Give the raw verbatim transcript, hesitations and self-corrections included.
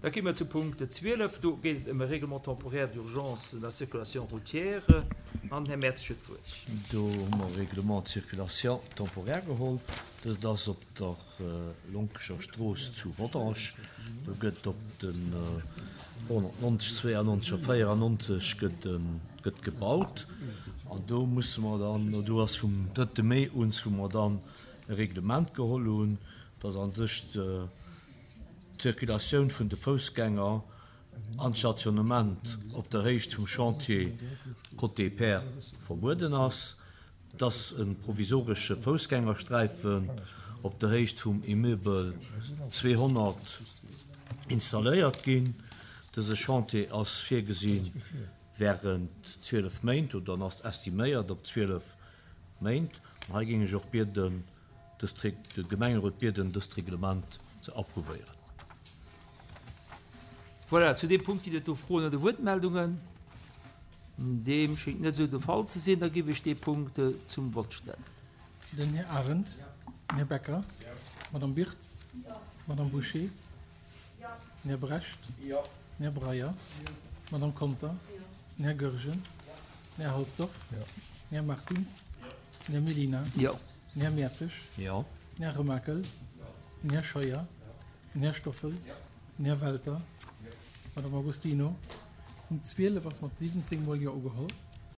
Da gi mer zu Punkt zwielef. Do geet et ëm e Règlement temporaire d'urgence de la circulation routière. An den Här Mertzig huet d'Wuert. Do hu mer e Règlement de circulation temporaire geholl. Dëst ass op der Lonkecher Strooss zu Rodange. Do gëtt op den honnertneunzeg, zweeannonzeg a véierannonzeg gëtt gëtt gebaut. An do musse mer dann, do ass vum drëtte Mee un, wou mer dann e Reglement geholl hunn, dass a sech d'Circulatioun vun de Foussgänger an d'Stationnement op der Héicht vum Chantier côté Pair verbueden ass, dass e provisoresche Foussgängersträifen op der Héicht vum Immeuble zweehonnert installéiert ginn. Dëse Chantier ass virgesi während zwielef Méint oder ass estiméiert op zwielef Méint. An hei géing ech och bieden, dëst de Gemengerot bieden, dëst Reglement ze approuvéieren. Voilà, zu deem Punkt ginn et do Froen oder Wuertmeldungen? Deem schéngt net esou de Fall ze sinn. Da géif ech dee Punkt zum Vott stellen. Den Här Arendt. Den Här Becker. D'Madame Birtz. D'Madame Bouché. Den Här Brecht. Den Här Breyer. D'Madame Conter. Den Här Goergen. Den Här Halsdorf. Den Här Martins. Den Här Mellina. Den Här Mertzig. Den Här Remakel. Den Här Scheuer. Den Här Stoffel. Den Här Welter. D'Madame Agostino. Punkt zwielef ass mat siwwenzéng Mol Jo ugeholl.